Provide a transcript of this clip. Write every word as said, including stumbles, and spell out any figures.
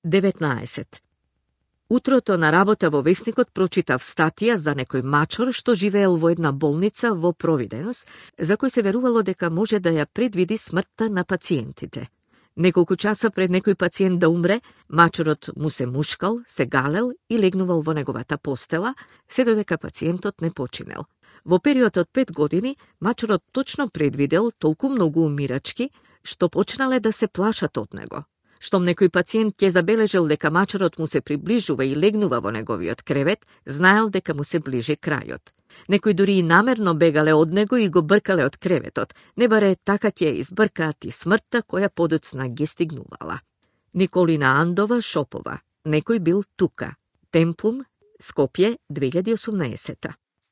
деветнаесет. Утрото на работа во весникот прочитав статија за некој мачор што живеел во една болница во Провиденс, за кој се верувало дека може да ја предвиди смртта на пациентите. Неколку часа пред некој пациент да умре, мачорот му се мушкал, се галел и легнувал во неговата постела, се додека пациентот не починел. Во период од пет години, мачорот точно предвидел толку многу умирачки, што почнале да се плашат од него. Штом некој пациент ќе забележал дека мачорот му се приближува и легнува во неговиот кревет, знаел дека му се ближи крајот. Некои дури и намерно бегале од него и го бркале од креветот, не баре така ќе избркаат и смртта која подоцна ги стигнувала. Николина Андова Шопова. Некој бил тука. Темплум, Скопје, две илјади и осумнаесета.